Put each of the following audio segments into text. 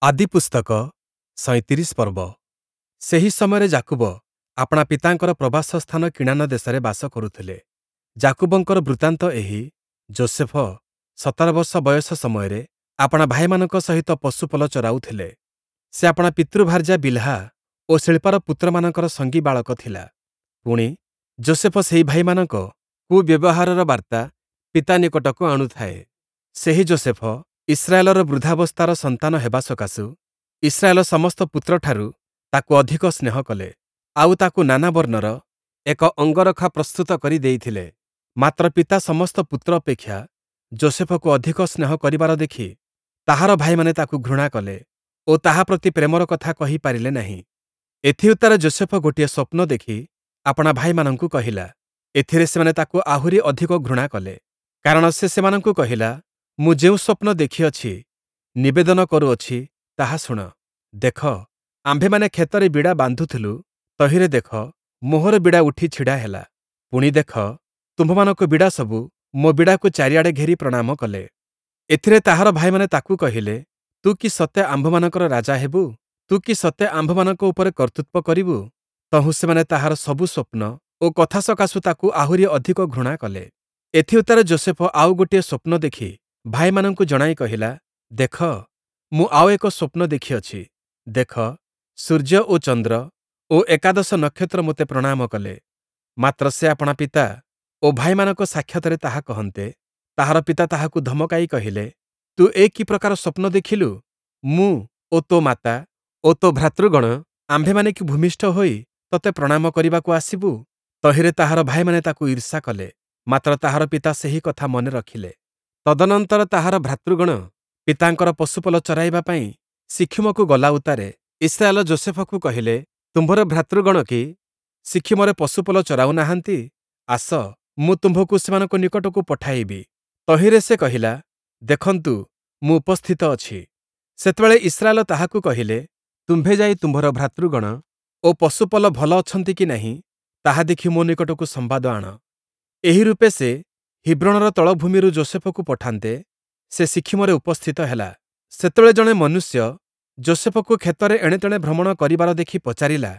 ଆଦିପୁସ୍ତକ ସଇଁତିରିଶ ପର୍ବ। ସେହି ସମୟରେ ଯାକୁବ ଆପଣା ପିତାଙ୍କର ପ୍ରବାସ ସ୍ଥାନ କିଣାନ ଦେଶରେ ବାସ କରୁଥିଲେ। ଯାକୁବଙ୍କର ବୃତ୍ତାନ୍ତ ଏହି। ଯୋଷେଫ 17 ବର୍ଷ ବୟସ ସମୟରେ ଆପଣା ଭାଇମାନଙ୍କ ସହିତ ପଶୁପଲ ଚରାଉଥିଲେ। ସେ ଆପଣା ପିତୃଭାର୍ଯ୍ୟା ବିଲ୍‌ହା ଓ ସିଳ୍ପାର ପୁତ୍ରମାନଙ୍କର ସଙ୍ଗୀ ବାଳକ ଥିଲା। ପୁଣି, ଯୋଷେଫ ସେହି ଭାଇମାନଙ୍କ କୁବ୍ୟବହାରର ବାର୍ତ୍ତା ପିତା ନିକଟକୁ ଆଣୁଥାଏ। ସେହି ଯୋଷେଫ ଇସ୍ରାଏଲର ବୃଦ୍ଧାବସ୍ଥାର ସନ୍ତାନ ହେବା ସକାଶୁ ଇସ୍ରାଏଲ ସମସ୍ତ ପୁତ୍ରଠାରୁ ତାକୁ ଅଧିକ ସ୍ନେହ କଲେ, ଆଉ ତାକୁ ନାନା ବର୍ଣ୍ଣର ଏକ ଅଙ୍ଗରଖା ପ୍ରସ୍ତୁତ କରି ଦେଇଥିଲେ। ମାତ୍ର ପିତା ସମସ୍ତ ପୁତ୍ର ଅପେକ୍ଷା ଯୋଷେଫକୁ ଅଧିକ ସ୍ନେହ କରିବାର ଦେଖି ତାହାର ଭାଇମାନେ ତାକୁ ଘୃଣା କଲେ ଓ ତାହା ପ୍ରତି ପ୍ରେମର କଥା କହି ପାରିଲେ ନାହିଁ। ଏଥିଉତ୍ତାରେ ଯୋଷେଫ ଗୋଟିଏ ସ୍ୱପ୍ନ ଦେଖି ଆପଣା ଭାଇମାନଙ୍କୁ କହିଲା। ଏଥିରେ ସେମାନେ ତାକୁ ଆହୁରି ଅଧିକ ଘୃଣା କଲେ, କାରଣ ସେ ସେମାନଙ୍କୁ କହିଲା, ମୁଁ ଯେଉଁ ସ୍ୱପ୍ନ ଦେଖିଅଛି, ନିବେଦନ କରୁଅଛି, ତାହା ଶୁଣ। ଦେଖ, ଆମ୍ଭେମାନେ କ୍ଷେତରେ ବିଡ଼ା ବାନ୍ଧୁଥିଲୁ, ତହିଁରେ ଦେଖ, ମୋହର ବିଡ଼ା ଉଠି ଛିଡ଼ା ହେଲା। ପୁଣି ଦେଖ, ତୁମ୍ଭମାନଙ୍କ ବିଡ଼ାସବୁ ମୋ ବିଡ଼ାକୁ ଚାରିଆଡ଼େ ଘେରି ପ୍ରଣାମ କଲେ। ଏଥିରେ ତାହାର ଭାଇମାନେ ତାକୁ କହିଲେ, ତୁ କି ସତେ ଆମ୍ଭମାନଙ୍କର ରାଜା ହେବୁ? ତୁ କି ସତେ ଆମ୍ଭମାନଙ୍କ ଉପରେ କର୍ତ୍ତୃତ୍ୱ କରିବୁ? ତହୁଁ ସେମାନେ ତାହାର ସବୁ ସ୍ୱପ୍ନ ଓ କଥା ସକାଶୁ ତାକୁ ଆହୁରି ଅଧିକ ଘୃଣା କଲେ। ଏଥିଉତ୍ତାରେ ଯୋଷେଫ ଆଉ ଗୋଟିଏ ସ୍ୱପ୍ନ ଦେଖି ଭାଇମାନଙ୍କୁ ଜଣାଇ କହିଲା, ଦେଖ, ମୁଁ ଆଉ ଏକ ସ୍ୱପ୍ନ ଦେଖିଅଛି। ଦେଖ, ସୂର୍ଯ୍ୟ ଓ ଚନ୍ଦ୍ର ଓ ଏକାଦଶ ନକ୍ଷତ୍ର ମୋତେ ପ୍ରଣାମ କଲେ। ମାତ୍ର ସେ ଆପଣା ପିତା ଓ ଭାଇମାନଙ୍କ ସାକ୍ଷାତରେ ତାହା କହନ୍ତେ, ତାହାର ପିତା ତାହାକୁ ଧମକାଇ କହିଲେ, ତୁ ଏ କି ପ୍ରକାର ସ୍ୱପ୍ନ ଦେଖିଲୁ? ମୁଁ ଓ ତୋ ମାତା ଓ ତୋ ଭ୍ରାତୃଗଣ ଆମ୍ଭେମାନେ କି ଭୂମିଷ୍ଠ ହୋଇ ତୋତେ ପ୍ରଣାମ କରିବାକୁ ଆସିବୁ? ତହିଁରେ ତାହାର ଭାଇମାନେ ତାକୁ ଈର୍ଷା କଲେ, ମାତ୍ର ତାହାର ପିତା ସେହି କଥା ମନେ ରଖିଲେ। ତଦନନ୍ତର ତାହାର ଭ୍ରାତୃଗଣ ପିତାଙ୍କର ପଶୁପଲ ଚରାଇବା ପାଇଁ ଶିଖିମକୁ ଗଲା ଉତ୍ତାରେ ଇସ୍ରାଏଲ ଯୋଷେଫକୁ କହିଲେ, ତୁମ୍ଭର ଭ୍ରାତୃଗଣ କି ଶିଖିମରେ ପଶୁପଲ ଚରାଉ ନାହାନ୍ତି? ଆସ, ମୁଁ ତୁମ୍ଭକୁ ସେମାନଙ୍କ ନିକଟକୁ ପଠାଇବି। ତହିଁରେ ସେ କହିଲା, ଦେଖନ୍ତୁ, ମୁଁ ଉପସ୍ଥିତ ଅଛି। ସେତେବେଳେ ଇସ୍ରାଏଲ ତାହାକୁ କହିଲେ, ତୁମ୍ଭେ ଯାଇ ତୁମ୍ଭର ଭ୍ରାତୃଗଣ ଓ ପଶୁପଲ ଭଲ ଅଛନ୍ତି କି ନାହିଁ, ତାହା ଦେଖି ମୋ ନିକଟକୁ ସମ୍ବାଦ ଆଣ। ଏହି ରୂପେ ସେ ହିବ୍ରୋଣର ତଳଭୂମିରୁ ଯୋଷେଫକୁ ପଠାନ୍ତେ, ସେ ଶିଖିମରେ ଉପସ୍ଥିତ ହେଲା। ସେତେବେଳେ ଜଣେ ମନୁଷ୍ୟ ଯୋଷେଫକୁ କ୍ଷେତରେ ଏଣେତେଣେ ଭ୍ରମଣ କରିବାର ଦେଖି ପଚାରିଲା,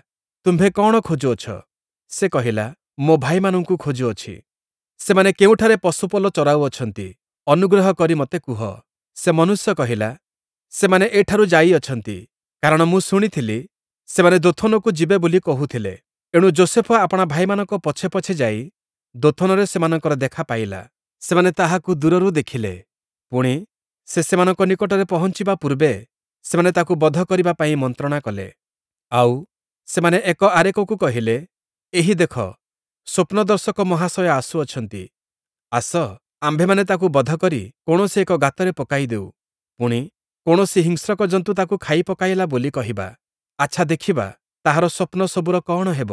ତୁମ୍ଭେ କଅଣ ଖୋଜୁଅଛ? ସେ କହିଲା, ମୋ ଭାଇମାନଙ୍କୁ ଖୋଜୁଅଛି। ସେମାନେ କେଉଁଠାରେ ପଶୁପଲ ଚରାଉଅଛନ୍ତି, ଅନୁଗ୍ରହ କରି ମୋତେ କୁହ। ସେ ମନୁଷ୍ୟ କହିଲା, ସେମାନେ ଏଠାରୁ ଯାଇଅଛନ୍ତି, କାରଣ ମୁଁ ଶୁଣିଥିଲି, ସେମାନେ ଦୋଥନକୁ ଯିବେ ବୋଲି କହୁଥିଲେ। ଏଣୁ ଯୋଷେଫ ଆପଣା ଭାଇମାନଙ୍କ ପଛେ ପଛେ ଯାଇ ଦୋଥନରେ ସେମାନଙ୍କର ଦେଖା ପାଇଲା। ସେମାନେ ତାହାକୁ ଦୂରରୁ ଦେଖିଲେ। ପୁଣି, ସେ ସେମାନଙ୍କ ନିକଟରେ ପହଞ୍ଚିବା ପୂର୍ବେ ସେମାନେ ତାକୁ ବଧ କରିବା ପାଇଁ ମନ୍ତ୍ରଣା କଲେ। ଆଉ, ସେମାନେ ଏକ ଆରେକକୁ କହିଲେ, ଏହି ଦେଖ, ସ୍ୱପ୍ନଦର୍ଶକ ମହାଶୟ ଆସୁଅଛନ୍ତି। ଆସ, ଆମ୍ଭେମାନେ ତାକୁ ବଧ କରି କୌଣସି ଏକ ଗାତରେ ପକାଇ ଦେଉ। ପୁଣି, କୌଣସି ହିଂସ୍ରକ ଜନ୍ତୁ ତାକୁ ଖାଇ ପକାଇଲା ବୋଲି କହିବା। ଆଚ୍ଛା ଦେଖିବା, ତାହାର ସ୍ୱପ୍ନ ସବୁର କଅଣ ହେବ।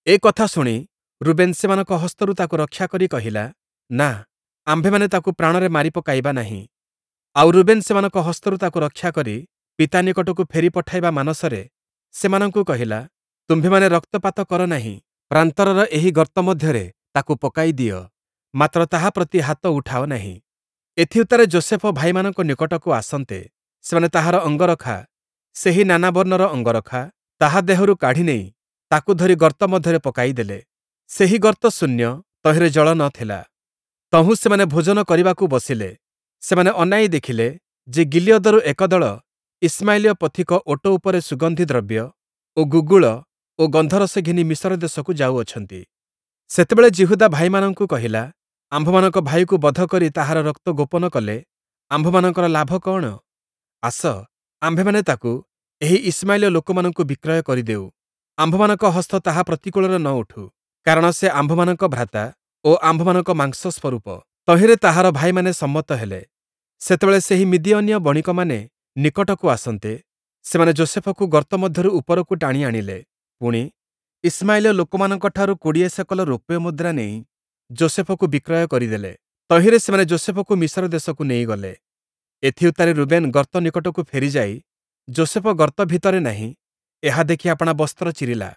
ଏ କଥା ଶୁଣି ରୁବେନ୍ ସେମାନଙ୍କ ହସ୍ତରୁ ତାକୁ ରକ୍ଷା କରି କହିଲା, ନା, ଆମ୍ଭେମାନେ ତାକୁ ପ୍ରାଣରେ ମାରି ପକାଇବା ନାହିଁ। ଆଉ ରୁବେନ୍ ସେମାନଙ୍କ ହସ୍ତରୁ ତାକୁ ରକ୍ଷା କରି ପିତା ନିକଟକୁ ଫେରି ପଠାଇବା ମାନସରେ ସେମାନଙ୍କୁ କହିଲା, ତୁମ୍ଭେମାନେ ରକ୍ତପାତ କର ନାହିଁ, ପ୍ରାନ୍ତରର ଏହି ଗର୍ତ୍ତ ମଧ୍ୟରେ ତାକୁ ପକାଇ ଦିଅ, ମାତ୍ର ତାହା ପ୍ରତି ହାତ ଉଠାଅ ନାହିଁ। ଏଥିଉତ୍ତାରେ ଯୋଷେଫ ଭାଇମାନଙ୍କ ନିକଟକୁ ଆସନ୍ତେ, ସେମାନେ ତାହାର ଅଙ୍ଗରଖା, ସେହି ନାନା ବର୍ଣ୍ଣର ଅଙ୍ଗରଖା, ତାହା ଦେହରୁ କାଢ଼ି ନେଇ ତାକୁ ଧରି ଗର୍ତ୍ତ ମଧ୍ୟରେ ପକାଇଦେଲେ। ସେହି ଗର୍ତ୍ତ ଶୂନ୍ୟ, ତହିଁରେ ଜଳ ନ ଥିଲା। ତହୁଁ ସେମାନେ ଭୋଜନ କରିବାକୁ ବସିଲେ। ସେମାନେ ଅନାଇ ଦେଖିଲେ ଯେ ଗିଲିୟଦରୁ ଏକ ଦଳ ଇଶ୍ମାଏଲୀୟ ପଥିକ ଓଟ ଉପରେ ସୁଗନ୍ଧି ଦ୍ରବ୍ୟ ଓ ଗୁଗ୍ଗୁଳ ଓ ଗନ୍ଧରସ ଘେନି ମିଶର ଦେଶକୁ ଯାଉଅଛନ୍ତି। ସେତେବେଳେ ଯିହୁଦା ଭାଇମାନଙ୍କୁ କହିଲା, ଆମ୍ଭମାନଙ୍କ ଭାଇକୁ ବଧ କରି ତାହାର ରକ୍ତ ଗୋପନ କଲେ ଆମ୍ଭମାନଙ୍କର ଲାଭ କଅଣ? ଆସ, ଆମ୍ଭେମାନେ ତାକୁ ଏହି ଇଶ୍ମାଏଲୀୟ ଲୋକମାନଙ୍କୁ ବିକ୍ରୟ କରିଦେଉ। ଆମ୍ଭମାନଙ୍କ ହସ୍ତ ତାହା ପ୍ରତିକୂଳରେ ନ ଉଠୁ, କାରଣ ସେ ଆମ୍ଭମାନଙ୍କ ଭ୍ରାତା ଓ ଆମ୍ଭମାନଙ୍କ ମାଂସ ସ୍ୱରୂପ। ତହିଁରେ ତାହାର ଭାଇମାନେ ସମ୍ମତ ହେଲେ। ସେତେବେଳେ ସେହି ମିଦିୟନୀୟ ବଣିକମାନେ ନିକଟକୁ ଆସନ୍ତେ, ସେମାନେ ଯୋଷେଫକୁ ଗର୍ତ୍ତ ମଧ୍ୟରୁ ଉପରକୁ ଟାଣି ଆଣିଲେ। ପୁଣି, ଇଶ୍ମାଏଲୀୟ ଲୋକମାନଙ୍କଠାରୁ 20 ସେକଲ ରୌପ୍ୟ ମୁଦ୍ରା ନେଇ ଯୋଷେଫକୁ ବିକ୍ରୟ କରିଦେଲେ। ତହିଁରେ ସେମାନେ ଯୋଷେଫକୁ ମିଶର ଦେଶକୁ ନେଇଗଲେ। ଏଥିଉତ୍ତାରେ ରୁବେନ୍ ଗର୍ତ୍ତ ନିକଟକୁ ଫେରିଯାଇ ଯୋଷେଫ ଗର୍ତ୍ତ ଭିତରେ ନାହିଁ, ଏହା ଦେଖି ଆପଣା ବସ୍ତ୍ର ଚିରିଲା।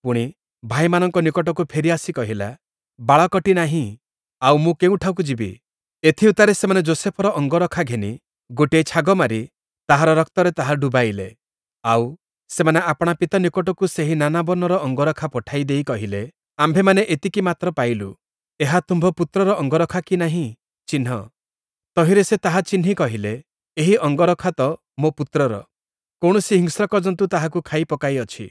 ପୁଣି, ଭାଇମାନଙ୍କ ନିକଟକୁ ଫେରି ଆସି କହିଲା, ବାଳକଟି ନାହିଁ, ଆଉ ମୁଁ କେଉଁଠାକୁ ଯିବି? ଏଥିଉତ୍ତାରେ ସେମାନେ ଯୋଷେଫର ଅଙ୍ଗରଖା ଘେନି ଗୋଟିଏ ଛାଗ ମାରି ତାହାର ରକ୍ତରେ ତାହା ଡୁବାଇଲେ। ଆଉ, ସେମାନେ ଆପଣା ପିତା ନିକଟକୁ ସେହି ନାନା ବର୍ଣ୍ଣର ଅଙ୍ଗରଖା ପଠାଇ ଦେଇ କହିଲେ, ଆମ୍ଭେମାନେ ଏତିକି ମାତ୍ର ପାଇଲୁ, ଏହା ତୁମ୍ଭ ପୁତ୍ରର ଅଙ୍ଗରଖା କି ନାହିଁ, ଚିହ୍ନ। ତହିଁରେ ସେ ତାହା ଚିହ୍ନି କହିଲେ, ଏହି ଅଙ୍ଗରଖା ତ ମୋ ପୁତ୍ରର, କୌଣସି ହିଂସ୍ରକ ଜନ୍ତୁ ତାହାକୁ ଖାଇ ପକାଇଅଛି।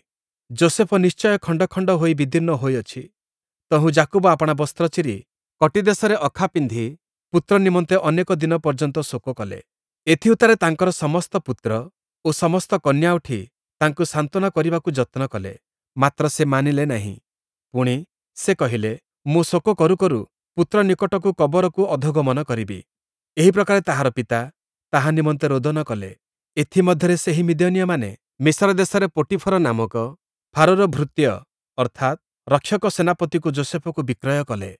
ଯୋଷେଫ ନିଶ୍ଚୟ ଖଣ୍ଡ ଖଣ୍ଡ ହୋଇ ବିଦୀର୍ଣ୍ଣ ହୋଇଅଛି। ତହୁଁ ଯାକୁବ ଆପଣା ବସ୍ତ୍ର ଚିରି କଟିଦେଶରେ ଅଖା ପିନ୍ଧି ପୁତ୍ର ନିମନ୍ତେ ଅନେକ ଦିନ ପର୍ଯ୍ୟନ୍ତ ଶୋକ କଲେ। ଏଥିଉତ୍ତାରେ ତାଙ୍କର ସମସ୍ତ ପୁତ୍ର ଓ ସମସ୍ତ କନ୍ୟା ଉଠି ତାଙ୍କୁ ସାନ୍ତ୍ୱନା କରିବାକୁ ଯତ୍ନ କଲେ, ମାତ୍ର ସେ ମାନିଲେ ନାହିଁ। ପୁଣି, ସେ କହିଲେ, ମୁଁ ଶୋକ କରୁ କରୁ ପୁତ୍ର ନିକଟକୁ କବରକୁ ଅଧୋଗମନ କରିବି। ଏହି ପ୍ରକାରେ ତାହାର ପିତା ତାହା ନିମନ୍ତେ ରୋଦନ କଲେ। ଏଥି ମଧ୍ୟରେ ସେହି ମିଦିୟନୀୟମାନେ ମିଶର ଦେଶରେ ପୋଟୀଫର ନାମକ ଫାରୋର ଭୃତ୍ୟ ଅର୍ଥାତ୍ ରକ୍ଷକ ସେନାପତିକୁ ଯୋଷେଫକୁ ବିକ୍ରୟ କଲେ।